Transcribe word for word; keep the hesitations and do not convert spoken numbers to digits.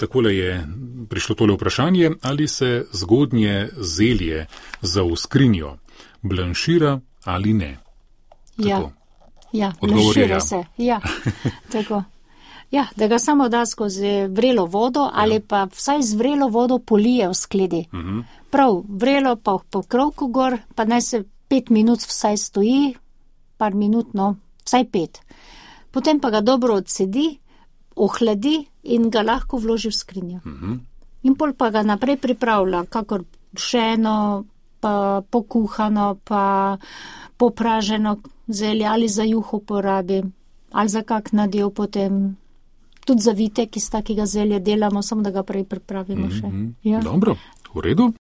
takole je prišlo tole vprašanje, ali se zgodnje zelje za v skrinjo blanšira ali ne. Ja, ja, Odgovor je blanšira ja. se. Ja, tako. Ja, da ga samo da skozi vrelo vodo ali Ja. pa vsaj z vrelo vodo polije v skledi. Mhm. Prav, vrelo pa po krovku gor, pa naj se pet minut vsaj stoji, par minut, no, vsaj pet. Potem pa ga dobro odsedi, ohladi in ga lahko vloži v skrinjo. Mhm. In pol pa ga naprej pripravlja, kakor pšeno, pa pokuhano, pa popraženo zelje ali za juho porabi, ali za kak nadev potem. Tudi za vitek iz takega zelja delamo, samo da ga prej pripravimo še. Mhm. Ja. Dobro, v redu.